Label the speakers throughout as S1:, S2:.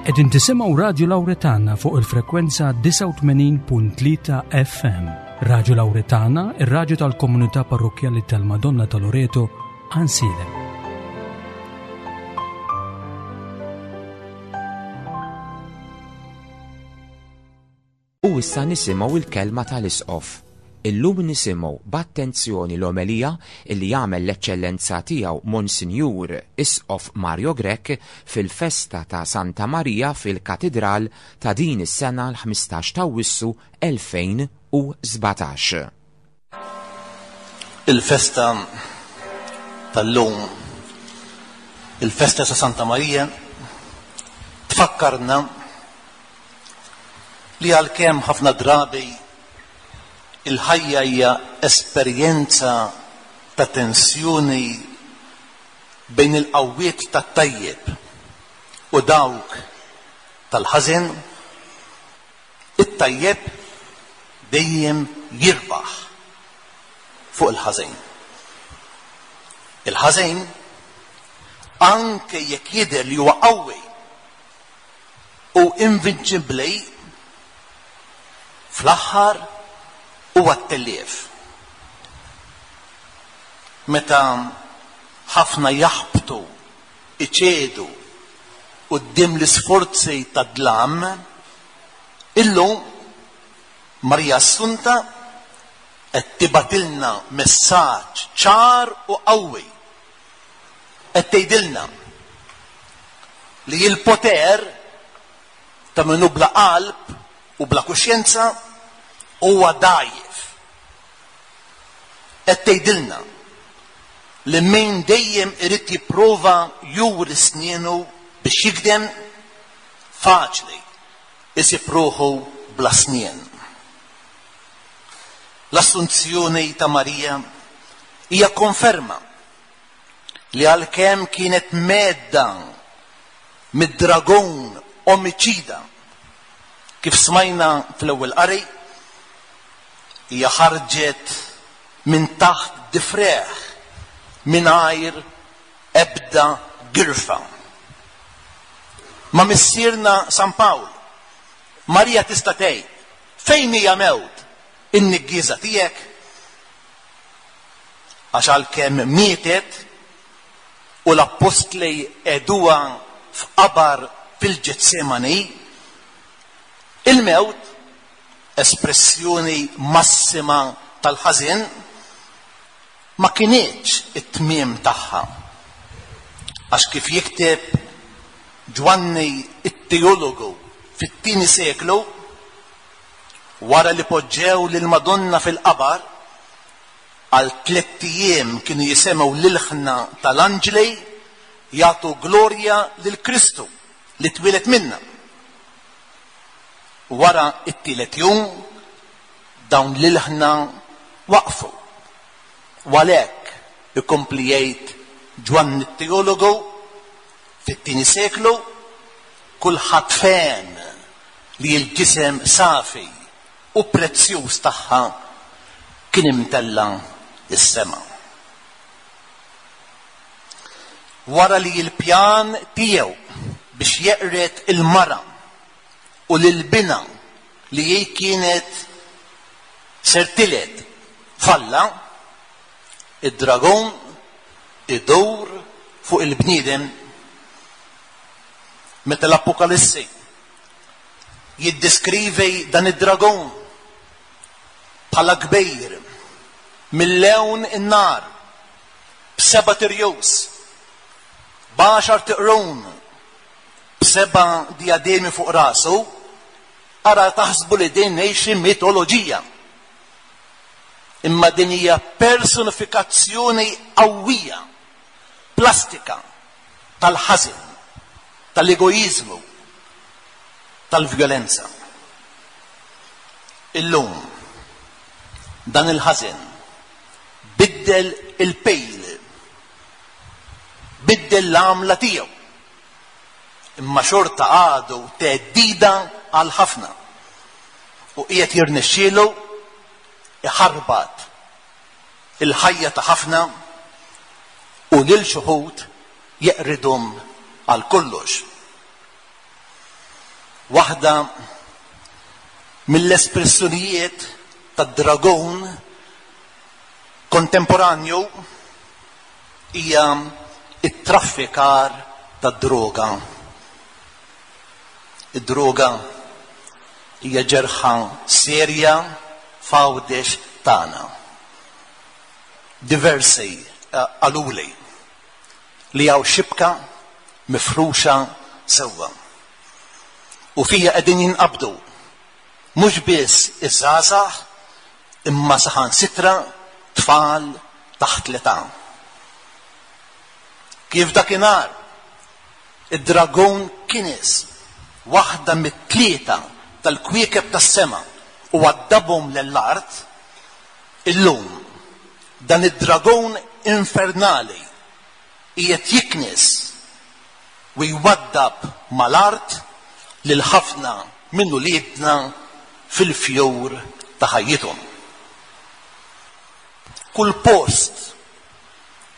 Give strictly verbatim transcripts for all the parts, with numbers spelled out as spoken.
S1: Qegħdin tisimgħu Radio Lauretana fuq il-frekwenza disgħa u tmenin punt tlieta F M. Radio Lauretana, ir-radju tal-komunità parrokkjali tal-Madonna ta' Loreto, Għajnsielem.
S2: U issa nisimgħu il-kelma tal-Isqof. Illum nisimgħu b'attenzjoni l-omelija illi jagħmel l-Eċċellenza Tiegħu Monsinjur Isqof Mario Grech fil-festa ta' Santa Marija fil-Katidral ta' din is-sena, l-ħmistax ta' Awwissu elfejn u sbatax.
S3: Il-festa tal-lum, il-festa ta' Santa Marija, tfakkarna li għalkemm ħafna drabi il-ħajja hija esperjenza ta' tensjoni bejn il-qawwiet tat-tajjeb u dawk tal-ħażin, it-tajjeb dejjem jirbaħ fuq il-ħażin. Il-ħażin, anke jekk jidher li huwa qawwi u invinċibbli, fl-aħħar huwa t-tellief. Meta ħafna jaħbtu, iċedu quddiem l-isforzi tad-dlam, illum Marija Assunta qed tibgħatilna messaġġ ċar u qawwi. Qed tgħidilna li l-poter ta' min hu bla qalb u bla kuxjenza huwa dgħajjef. Qed tgħidilna li min dejjem irid jipprova juri snienu biex jigdem, faċli isib ruħu bla snien. L-Assunzjoni ta' Marija hija konferma li għalkemm kienet mhedda mid-dragon omiċida, kif smajna fl-ewwel qari, hija ħarġet minn taħt difrejh mingħajr ebda girfa. Ma' missierna San Pawl, Marija tista' tgħid: "Fejn hija, mewt, in-niggieża tiegħek?" Għax għalkemm mietet u l-appostli qegħduha f'qabar fil-Ġetsemani, il-mewt, espressjoni massima tal-ħażin, ma kinitx it-tmiem tagħha. Għax kif jikteb Ġwanni it-teologu fit-tieni seklu, wara li poġġew lil Madonna fil-qabar, għal tliet ijiem kienu jisimgħu l-ilħna tal-anġli jagħtu glorja lil Kristu li twieled minna. Wara it-tielet jum dawn l-ilħna waqfu. U għalhekk, ikompli jgħid Ġwanni t-teologu fit-tieni seklu, kulħadd fehem li l-ġisem safi u prezzjuż tagħha kien imtella is-sema. Wara li l-pjan tiegħu biex jeqred il-mara u lil binha li hi kienet ser tiled falla, id-dragon idur fuq il-bniedem. Meta l-Apokalissi jiddeskrivi dan id-dragon bħala kbir mill-lewn in-nar, b'sebat irjus, b'għaxart iqrun, b'seba' diademi fuq rasu, ara taħsbu li din xi mitoloġija. Imma din hija personifikazzjoni qawwija, plastika, tal-ħażin, tal-egoizmu, tal-vjolenza. Illum, dan il-ħażin biddel il-pejl, biddel l-għamla tiegħu, imma xorta għadu theddida għal ħafna u qiegħed jirnexxielu iħarbat il-ħajja ta' ħafna u lil xi wħud jeqridhom għal kollox. Waħda mill-espressjonijiet tad-dragon kontemporanju hija it-traffikar tad-droga. Id-droga hija ġerħa serja f'Għawdex tagħna. Diversi qaluli li hawn xibka mifruxa sewwa. U fija qegħdin jinqabdu mhux biss iż-żgħażagħ imma saħansitra tfal taħt l-età. Kif dakinhar id-dragon kines waħda mit-tlieta tal-kwiekeb tas-sema u għaddabhom lill-art, illum dan id-dragon infernali qiegħed jiknis u jwaddab mal-art lil ħafna minn uliedna fil-fjur ta' ħajjithom. Kull post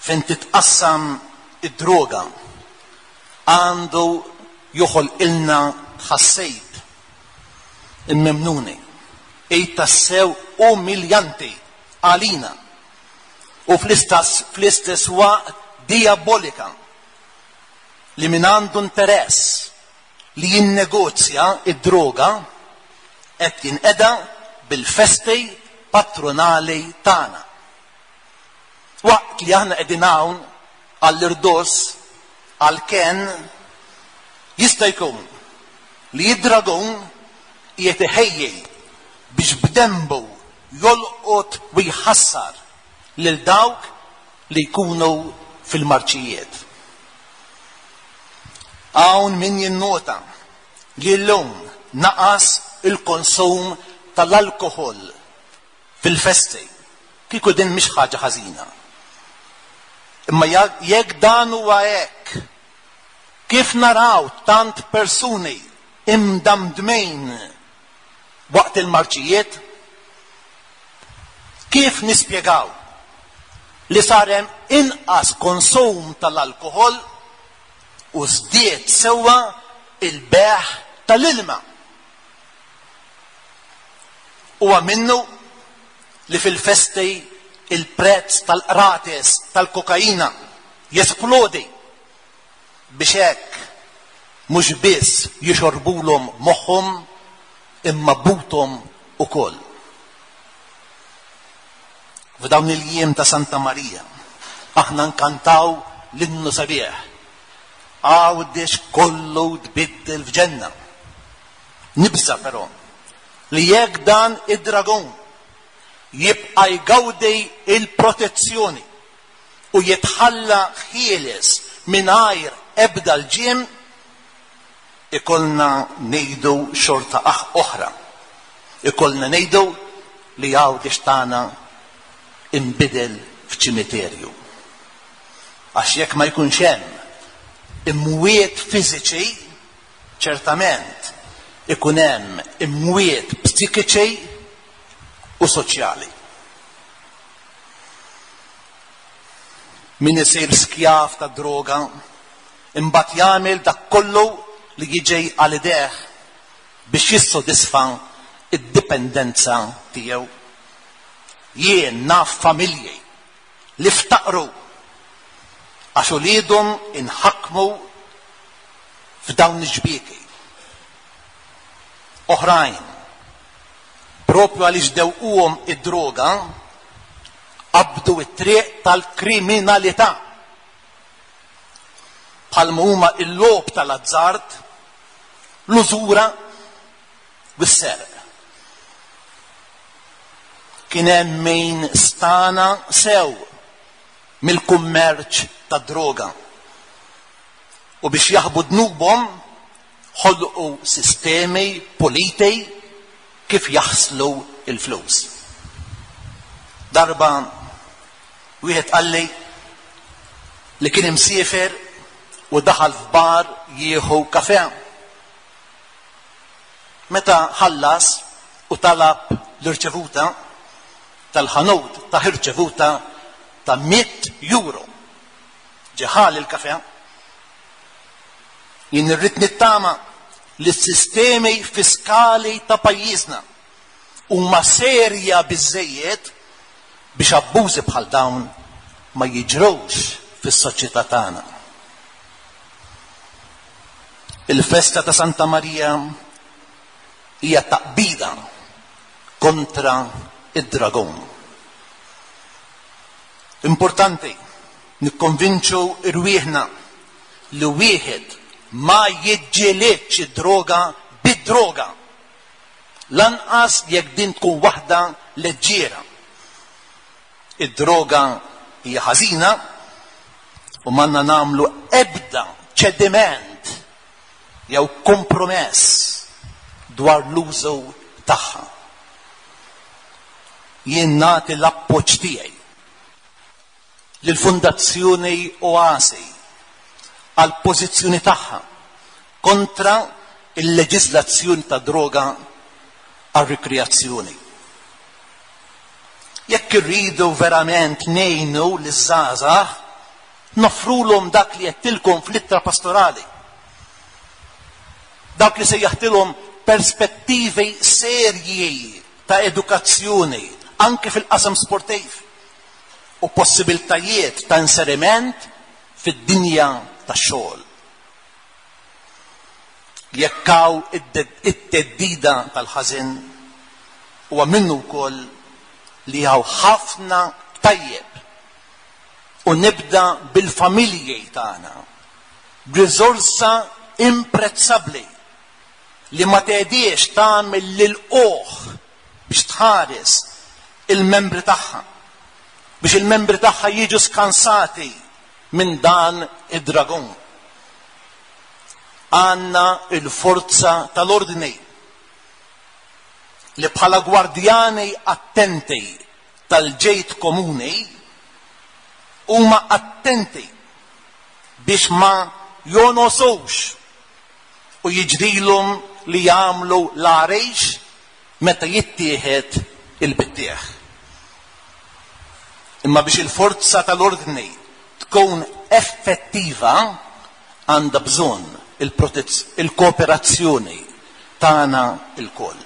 S3: fejn titqassam id-droga għandu joħolqilna tħassib immemnuni, ej tassew umiljanti għalina u fl-istess fl-istess waqt diabolika li min għandu interess li jinnegozja id-droga qed jinqeda bil-festi patronali tagħna. Waqt li aħna qegħdin hawn għall-irdos għall-ken, jista' jkun li id-dragon qiegħed iħejji biex b'dembu jolqot u jħassar lil dawk li jkunu fil-marċijiet. Hawn min jinnota li llum naqas il-konsum tal-alkohol fil-festi. Kieku din mhix ħaġa ħażina. Imma jekk dan huwa hekk, kif naraw tant persuni imdamdmejn waqt il-marċijiet? Kif nispjegaw li sar hemm inqas konsum tal-alkohol u żdied sewwa il-beħ tal-ilma? Huwa minnu li fil-festi il-prezz tal-qrates tal-kokaina jesplodi biex hekk mhux biss jixorbulhom moħħhom imma buthom ukoll. F'dawn il-jiem ta' Santa Marija aħna nkantaw l-innu sabiħ Għawdex kollu tbiddel f'ġenna. Nibża però li jekk dan id-dragon jibqa' jgawdi il-protezzjoni u jitħalla ħieles mingħajr ebda l-ġiem, ikollna ngħidu xorta oħra. Ikollna ngħidu li Għawdex tagħna inbidel f'ċimiterju. Għax jekk ma jkunx hemm imwiet fiżiċi, ċertament ikun hemm imwiet psikiċi u soċjali. Min isir skjav ta' droga imbagħad jagħmel dak kollu li jiġi għal idejh biex jissodisfa id-dipendenza tiegħu. Jien naf familji li ftaqru għax uliedhom inħakmu f'dawn iġbieki. Oħrajn, propju għaliex dewquhom id-droga, qabdu it-triq tal-kriminalità. Bħalma huma l-logħob tal-azzard, l-użura u s-serq. Kien hemm min stana sew mill-kummerċ tad-droga. U biex jaħbu dnubhom ħolqu sistemi politi kif jaħslu il-flus. Darba wieħed qalli li kien imsiefer u daħal f'bar jieħu kafè. Meta ħallas u talab l-irċevuta tal-ħanut ta' irċevuta ta' mitt euro. Ġeħal il-kafè. Jien irrid nittama li s-sistemi fiskali ta' pajjiżna huma serja biżżejjed biex abbużi bħal dawn ma jiġrux fis-soċjetà tagħna. Il-festa ta' Santa Marija hija taqbida kontra id-dragon. Importanti nikkonvinċu irwieħna li wieħed ma jiġġielidx id-droga bid-droga, lanqas jekk din tkun waħda leġġiera. Id-droga hija ħażina u m'għandna nagħmlu ebda ċediment jew kompromess dwar l-użu tagħha. Jien nagħti l-appoġġ tiegħi lill-Fondazzjoni Oasi għal pożizzjoni tagħha kontra il-leġiżlazzjoni ta' droga għal rikreazzjoni. Jekk irridu verament ngħinu liż-żgħażagħ, noffrulhom dak li għedtilkom fl-ittra pastorali. Dak li sejjaħtilhom perspettivi serji ta' edukazzjoni anke fil-qasam sportiv u possibiltajiet ta' inseriment fid-dinja tax-xogħol. Jekk hawn it-theddida tal-ħażin, huwa minnu wkoll li hawn ħafna tajjeb, u nibda bil-familji tagħna, b'riżorsa imprezzabbli li ma tgħidiex tagħmel lil oħ biex tħares il-membri tagħha, biex il-membri tagħha jiġu skansati minn dan id-dragon. Għanna il-forza tal-ordni li bħala gwardjani attenti tal-ġejt komuni huma attenti biex ma jonosux u jiġrilhom li jagħmlu l-għarejx meta jittieħed il-bittieħ. Imma biex il-forza tal-ordni tkun effettiva għandha bżonn il-kooperazzjoni tagħna lkoll.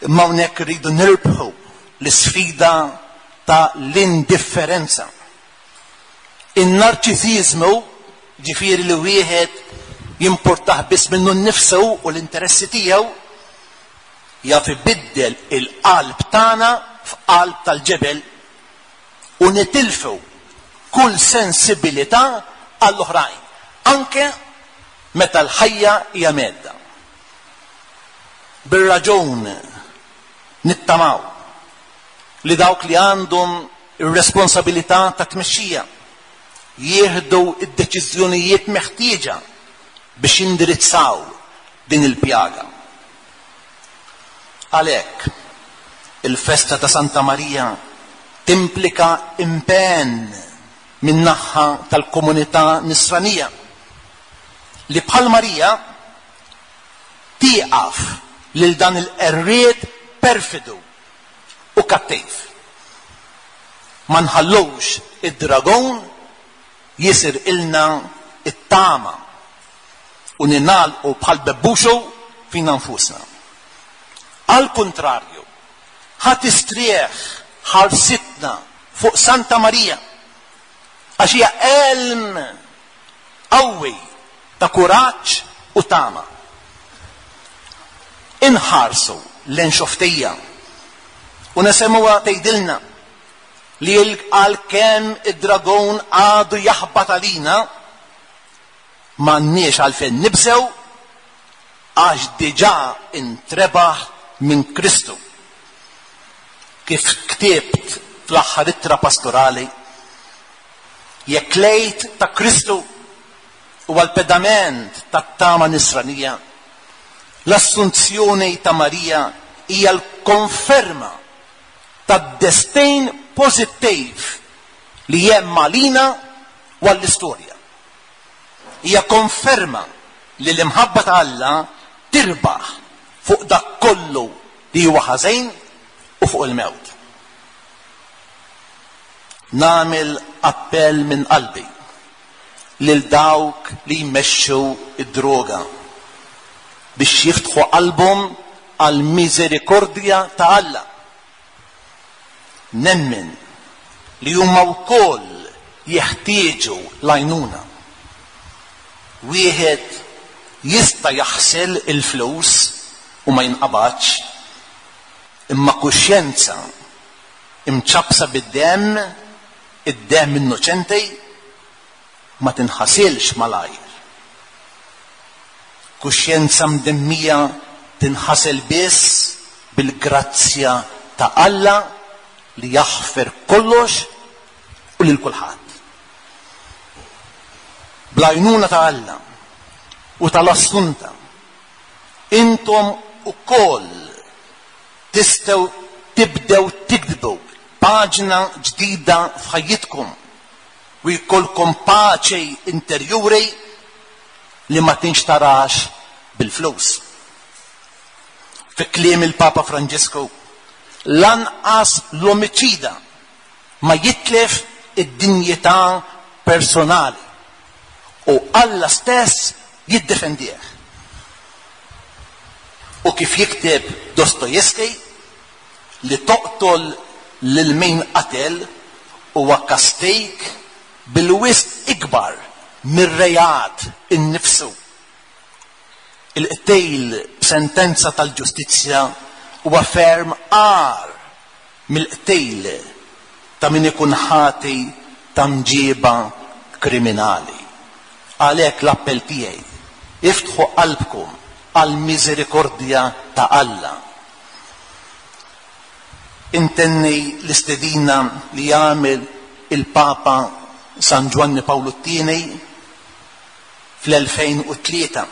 S3: Imma hawnhekk irridu nirbħu l-isfida ta' l-indifferenza. In-narċisiżmu, ġifieri li wieħed jimportah biss minnu nnifsu u l-interessi tiegħu, jaf ibiddel il-qalb tagħna f'qalb tal-ġebel u nitilfu kull sensibilità għall-oħrajn, anke meta l-ħajja hija medda. Bir-raġun nittamaw li dawk li għandhom ir-responsabilità ta' tmexxija jieħdu d-deċiżjonijiet meħtieġa biex jindirizzaw din il-pjaga. Għalhekk, il-festa ta' Santa Marija timplika impenn min-naħa tal-komunità nisranija li bħal Marija tieqaf lil dan il-qerried perfidu u kattiv. Ma nħallux id-dragon jisir ilna it-tama u ninalqu bħal bebbuxu fina nfusna. Al kontrarju, ħa tistrieħ ħarsitna fuq Santa Marija għax hija elm qawwi ta' kuraġġ u tama. Inħarsu lejn xoftija u nesemmuha tgħidilna li għalkemm id-dragon għadu jaħbat għalina, m'għandniex għalfejn nibżew għax diġà intrebaħ minn Kristu. Kif ktibt fl-aħħar ittra pastorali, jekk lejt ta' Kristu huwa l-pedament tat-tama nisranija, l-assunzjoni ta' Marija hija l-konferma tad-destin pożittiv li hemm għalina u għall-istorja. Hija konferma li l-imħabba ta' Alla tirbaħ fuq dak kollu li huwa ħażin u fuq il-mewt. Nagħmel appell minn qalbi lil dawk li jmexxu id-droga. biex jiftħu qalbhom għall-miżerikordja ta' Alla. Nemmen li huma wkoll jeħtieġu l-għajnuna. Wieħed jista' jaħsel il-flus u ma jinqabadx, imma kuxjenza imċappsa bid-demm, id-demm innoċenti, ma tinħasilx malajr. Kuxjenza mdemmija tinħasel biss bil-grazzja ta' Alla li jaħfer kollox u lil kulħadd. Bl-għajnuna ta' Alla u tal-Assunta, intom ukoll tistgħu tibdew tiktbu paġna ġdida f'ħajjitkom u jkollkom paċi interjuri li ma tinxtarax bil-flus. Fi kliem il-Papa Franġisku, lanqas l-omiċida ma jitlef id-dinjità personali u Alla stess jiddefendih. U kif jikteb Dostoevsky, li toqtol lil min qatel huwa kastig bil-wisq ikbar mir-reat innifsu. Il-qtil b'sentenza tal-ġustizzja huwa ferm agħar mill-qtil ta' min ikun ħati ta' mġiba kriminali. Għalhekk l-appell tiegħi, iftħu qalbkom għall-miżerikordja ta' Alla. Intenni l-istedina li jagħmel il-Papa San Ġwanni Pawlu t-tieni fl-elfejn u tlieta.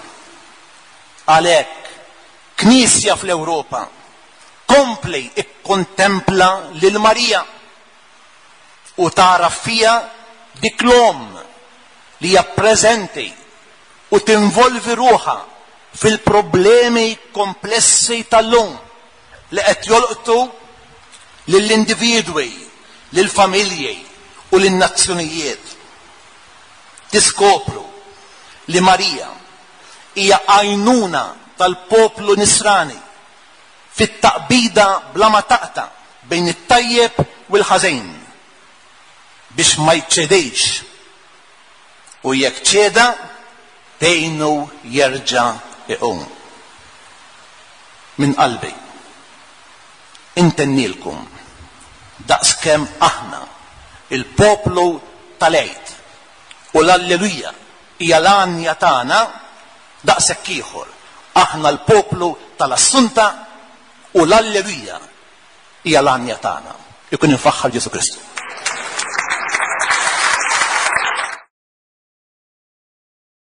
S3: Għalhekk, Knisja fl-Ewropa kompli ikkontempla lil Marija u tara fija dik l-omm li hija preżenti u tinvolvi ruħha fil-problemi komplessi tal-lum li qed jolqtu lill-individwi, lill-familji u lin-nazzjonijiet. Tiskopru li Marija hija għajnuna tal-poplu nisrani fit-taqbida bla ma taqta' bejn it-tajjeb u l-ħażin biex ma jċedejx u jekk ċeda tgħinu jerġa' iqum. Minn qalbi intennilkom daqskemm aħna il-poplu tal-Għid u l-Alleluja hija l-għanja tagħna, daqshekk ieħor aħna l-poplu tal-Assunta u l-Alleluja hija l-għanja tagħna. Ikun infaħħar Ġesu Kristu.